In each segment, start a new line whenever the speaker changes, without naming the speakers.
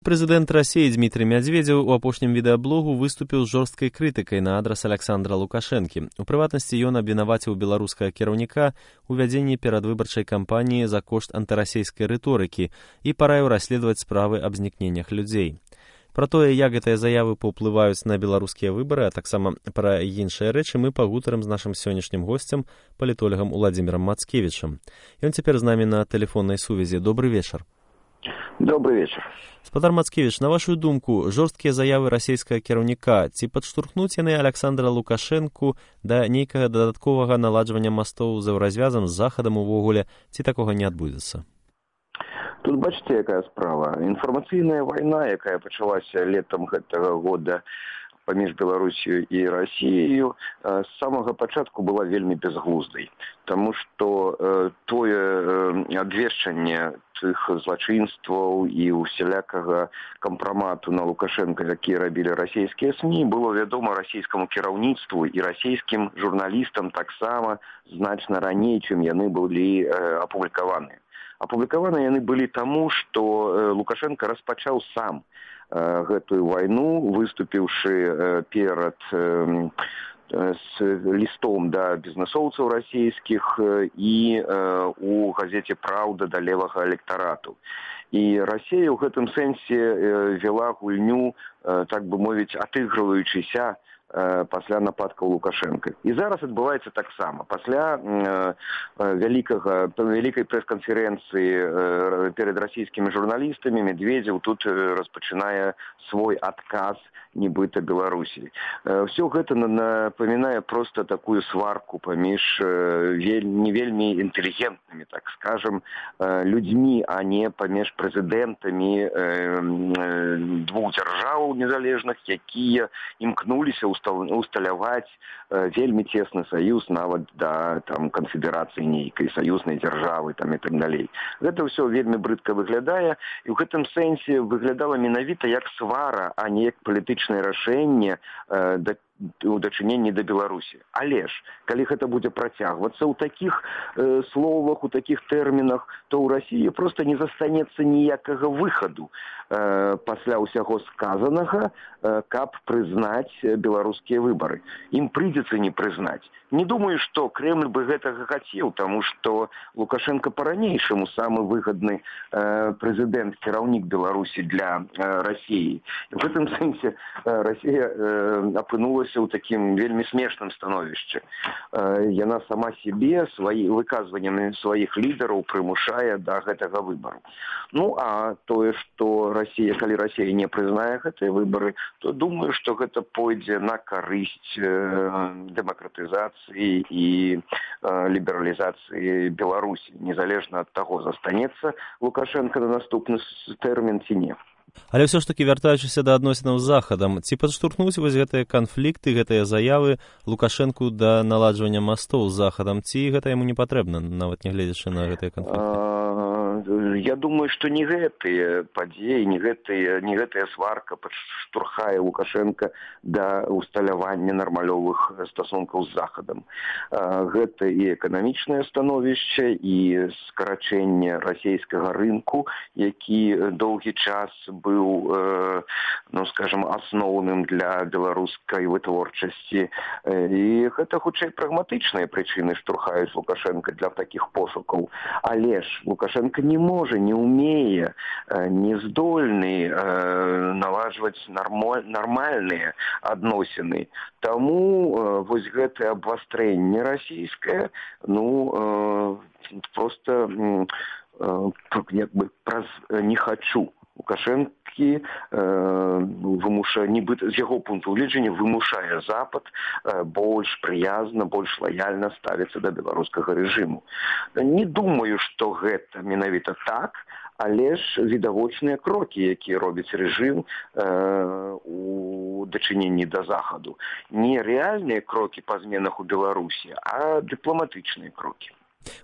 Прэзідэнт Расіі Дмітрый Мядзведзеў у апошнім відэаблогу выступіў з жорсткай крытыкай на адрас Аляксандра Лукашэнкі. У прыватнасці ён абвінаваціў беларускага кіраўніка у вядзенні перадвыбарчай кампаніі за кошт антырасійскай рыторыкі і параіў расследаваць справы аб знікненнях людзей. Пра тое, як гэтыя заявы паўплываюць на беларускія выбары, а таксама пра іншыя рэчы мы пагутарым з нашым сённяшнім госцем, палітолагам Уладзімірам Мацкевічам. Ён цяпер з намі на тэлефоннай сувязі. Добры вечар.
Добрый вечер.
Спадар Мацкевіч, на вашу думку, жорсткія заявы расійскага кіраўніка ці падштурхнуць яны Аляксандра Лукашэнку да нейкага дадатковага наладжвання мастоў за развязам з Захадам увогуле, ці такога не адбудзецца?
Тут бачите, якая справа. Інфармацыйная вайна, якая пачалася летом гэтага года паміж Беларусію і Расіяю, з самага пачатку была вельмі бязглуздай. Таму што тое абвешчанне тых злачынстваў і усялякага кампрамату на Лукашэнка, які рабілі расійскія СМІ, было вядома расійскаму кіраўніцтву і расійскім журналістам таксама значна раней, чым яны былі апублікаваныя. Апублікаваны яны былі таму, што Лукашенко распачаў сам гэтую вайну, выступіўшы перад з лістом да бізнесоўцаў расійскіх і у газеце «Праўда» да левага электарату. І Расія ў гэтым сэнсе вела гульню, так бы мовіць, атыгрываючыся пасля нападкаў Лукашэнка. І зараз адбываецца таксама. Пасля вялікай прэс-канферэнцыі перад расійскімі журналістамі Медведзеў тут распачынае свой адказ нібыта Беларусі. Все гэта напамінае проста такую сварку паміж не вельмі інтэлігентнымі, так скажем, людзьмі, а не паміж прэзідэнтамі двух дзяржаў незалежных, якія імкнуліся усталяваць вельмі цесны саюз нават да канфедэрацыі нейкай, саюзнай дзяржавы і так далей. Гэта ўсё вельмі брыдка выглядае, і ў гэтым сэнсе выглядала менавіта як свара, а не як палітычнае рашэнне у дачыненні да Беларусі. Але ж, калі гэта будзе працягвацца ў такіх словах, у такіх тэрмінах, то ў Расіі проста не застанецца ніякага выхаду пасля ўсяго сказанага, каб прызнаць беларускія выбары. Ім прыйдзецца не прызнаць. Не думаю, што Кремль бы гэтага хацеў, таму што Лукашенко па-ранейшаму самы выгадны прэзідэнт, кіраўнік Беларусі для Расіі. В гэтым сэнсе Расія апынулася ў такім вельмі смешным становішчы. Яна сама сябе выказваннямі сваіх лідараў прымушае да гэтага выбару. Ну, а тое, што Расія, калі Расія не прызнае гэтыя выбары, то думаю, што гэта пойдзе на карысць дэмакратызацыі і лібералізацыі Беларусі, незалежна ад таго, застанецца Лукашенко на наступны тэрмін ці не.
Але ўсё ж такі, вяртаючыся да адносінаў з Захадам, ці падштурхнуць вось гэтыя канфлікты, гэтыя заявы Лукашэнку да наладжвання мастоў з Захадам, ці гэта яму не патрэбна, нават не гледзячы на гэтыя канфлікты?
Я думаю, што не гэтыя падзеі, не гэтая сварка падштурхае Лукашенка да усталявання нармалёвых стасункаў з Захадам. Гэта і эканамічнае становішча, і скарачэнне расійскага рынку, які доўгі час быў, скажем, асноўным для беларускай вытворчасці. І гэта хутчэй прагматычныя прычыны штурхаюць Лукашенка для такіх пошукаў. Але ж Лукашенко не можа, не умее, не здольны налажваць нармальныя адносіны. Таму вось гэтае абвастрэнне расійскае, просто як бы праз «не хачу» Лукашэнкі з яго пункту гледжання вымушае Запад больш прыязна, больш лаяльна ставіцца да беларускага рэжыму. Не думаю, што гэта менавіта так, але ж відавочныя крокі, якія робіць рэжым у дачыненні да Захаду. Не рэальныя крокі па зменах у Беларусі, а дыпламатычныя крокі.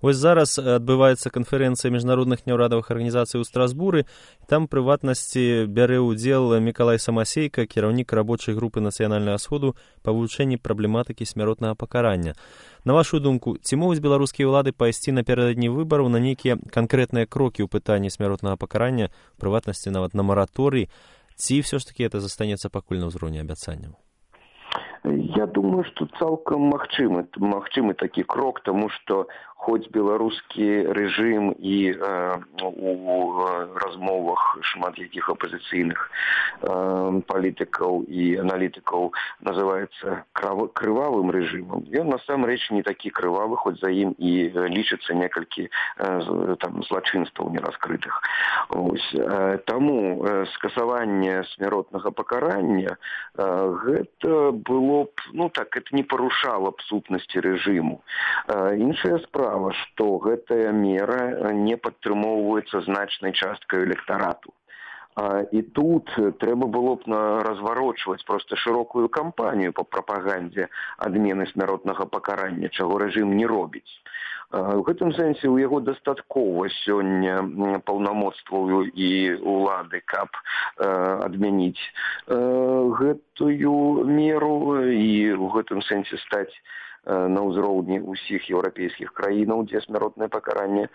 Вось зараз адбываецца канферэнцыя міжнародных няўрадавых арганізацый у Страсбуры. Там, прыватнасці, бярэ ўдзел Мікалай Самасейка, кіраўнік рабочай групы Нацыянальнага сходу па вывучэнні праблематыкі смяротнага пакарання. На вашу думку, ці могуць беларускія ўлады пайсці напярэдадні выбараў на нейкія канкрэтныя крокі ў пытанні смяротнага пакарання, прыватнасці нават на мараторый, ці ўсё ж такі это застанецца пакуль на ўзроўні абяцанняў?
Я думаю, что цалкам магчымы такі крок, тому што хоць беларускі рэжым і у размовах шмат якіх апазіцыйных палітыкаў і аналітыкаў называецца крывавым рэжымам, ён насамрэч не такі крывавы, хоць за ім і лічыцца некалькі злачынстваў нераскрытых. Таму скасаванне смяротнага пакарання гэта было б, это не парушала б сутнасці рэжыму. Іншая справа, што гэтая мера не падтрымоўваецца значнай часткай электарату. І тут трэба было б разварочваць проста шырокую кампанію па прапагандзе адмены смяротнага пакарання, чаго рэжым не робіць. У гэтым сэнсе ў яго дастаткова сёння паўнамоцтваў і ўлады, каб адмяніць гэтую меру і ў гэтым сэнсе стаць на ўзроўні ўсіх еўрапейскіх краінаў, дзе смяротнае пакаранне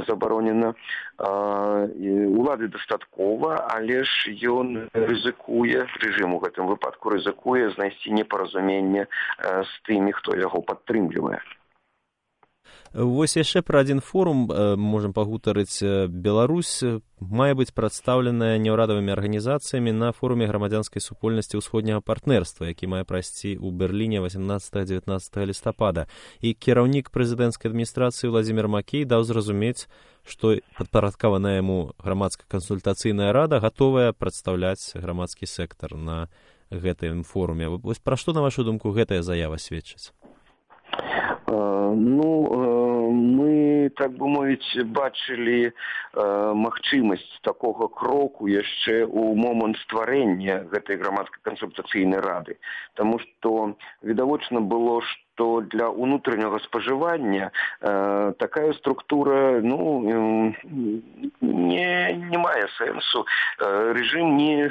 забаронена. Улады дастаткова, але ж ён рызыкуе, рэжым у гэтым выпадку рызыкуе знайсці непаразуменне з тымі, хто яго падтрымлівае.
Вось яшчэ пра адзін форум можам пагутарыць. Беларусь мае быць прадстаўленая няўрадавымі арганізацыямі на форуме грамадзянскай супольнасці ўсходняга партнерства, які мае прайсці ў Берліне 18-19 лістапада. І кіраўнік прэзідэнцкай адміністрацыі Владзімір Макей даў зразумець, што падпарадкаваная яму грамадска-кансультацыйная рада гатовая прадстаўляць грамадскі сектар на гэтым форуме. Вось пра што, на вашу думку, гэтая заява сведчыць?
Мы, так бы мовіць, бачылі магчымасць такога кроку яшчэ ў момант стварэння гэтай грамадска-кансультацыйнай рады. Таму што відавочна было, што для ўнутранняга спажывання такая структура не мае сэнсу. Рэжым не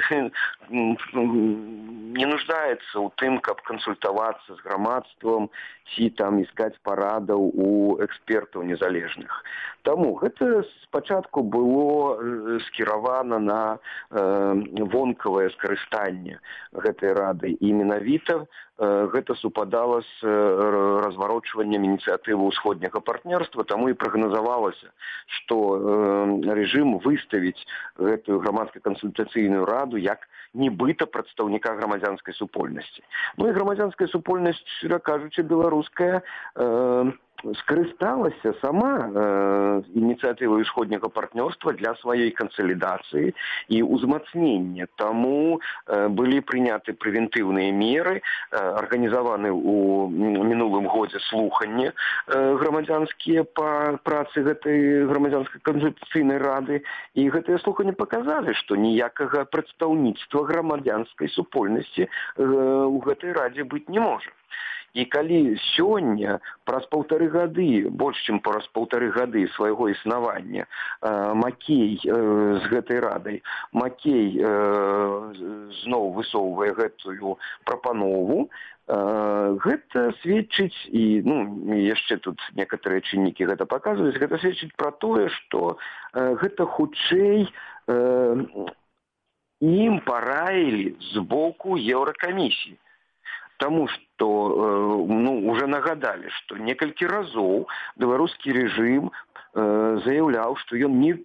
нуждаецца ў тым, каб кансультавацца з грамадствам ці іскаць парадаў у экспертаў незалежных. Таму гэта спачатку было скіравана на вонкавае скарыстанне гэтай рады. І менавіта гэта супадала з разварочваннем ініцыятывы ўсходняга партнерства, таму і прагназавалася, што рэжым выставіць гэтую грамадска-кансультацыйную раду як нібыта прадстаўніка грамадзянскай супольнасці. І грамадзянская супольнасць, шчыра кажучы, беларуская, скарысталася сама ініцыятывай усходняга партнёрства для сваёй кансалідацыі і ўзмацнення. Таму былі прыняты прэвентыўныя меры, арганізаваны ў мінулым годзе слуханні грамадзянскія па працы гэтай грамадзянскай кансультацыйнай рады, і гэтыя слуханні паказалі, што ніякага прадстаўніцтва грамадзянскай супольнасці ў гэтай радзе быць не можа. І калі сёння, праз больш чым праз паўтары гады свайго існавання, Макей з гэтай радай, Макей зноў высоўвае гэтую прапанову, гэта сведчыць, і яшчэ тут некаторыя чыннікі гэта паказваюць, гэта сведчыць пра тое, што гэта хутчэй ім параілі з боку Еўракамісіі. Таму што уже нагадалі, што некалькі разоў беларускі рэжым заяўляў, што ён не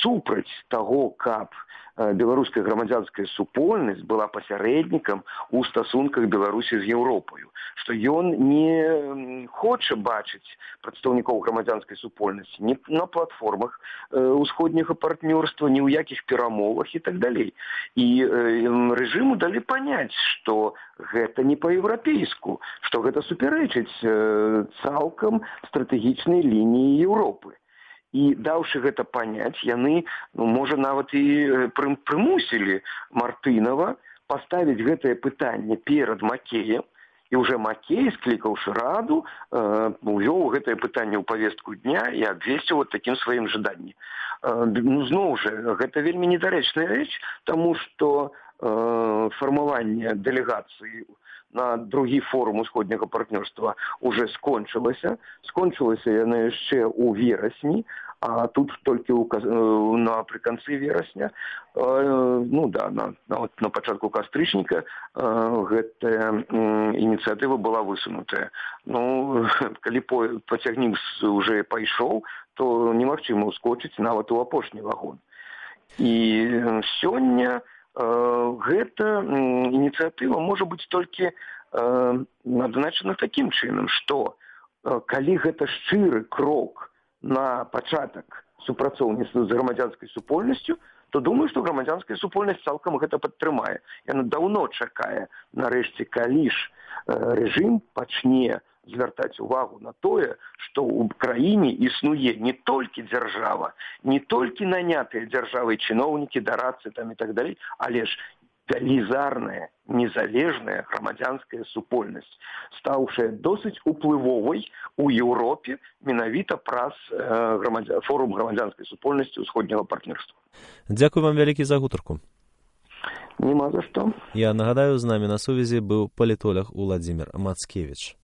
супраць таго, каб беларуская грамадзянская супольнасць была пасярэднікам у стасунках Беларусі з Еўропаю, што ён не хоча бачыць прадстаўнікоў грамадзянскай супольнасці ні на платформах усходняга партнёрства, ні ў якіх перамовах і так далей. І рэжыму далі паняць, што гэта не па-еўрапейску, што гэта супярэчыць цалкам стратэгічнай лініі Еўропы. І даўшы гэта паняць, яны, можа, нават і прымусілі Мартынова паставіць гэтае пытанне перад Макеем І ўжо Макей, склікаўшы раду, увёў гэтае пытанне ў павестку дня і абвесціў такім сваім жаданнем. Зноў жа, гэта вельмі недарэчная рэч, таму што фармаванне дэлегацыі на другі форум усходняга партнёрства уже скончылася. Скончылася яна яшчэ ў верасні, а тут толькі напрыканцы верасня, на пачатку кастрычніка гэтая ініцыятыва была высунутая. Калі пацягнік уже пайшоў, то немагчыма ўскочыць нават у апошні вагон. І сёння гэта ініцыятыва можа быць толькі адзначана такім чынам, што калі гэта шчыры крок на пачатак супрацоўніцтва з грамадзянскай супольнасцю, то думаю, што грамадзянская супольнасць цалкам гэта падтрымае. Яна даўно чакае, нарэшце, калі ж рэжым пачне звяртаць увагу на тое, што ў краіне існуе не толькі дзяржава, не толькі нанятыя дзяржавай чыноўнікі, дарадцы там і так далей, але ж велізарная, незалежная грамадзянская супольнасць, стаўшая досыць уплывовай у Еўропе менавіта праз форум грамадзянскай супольнасці ўсходняга партнёрства.
Дзякуй вам вялікі за гутарку.
Нема за што.
Я нагадаю, з намі на сувязі быў палітолог Уладзімір Мацкевіч.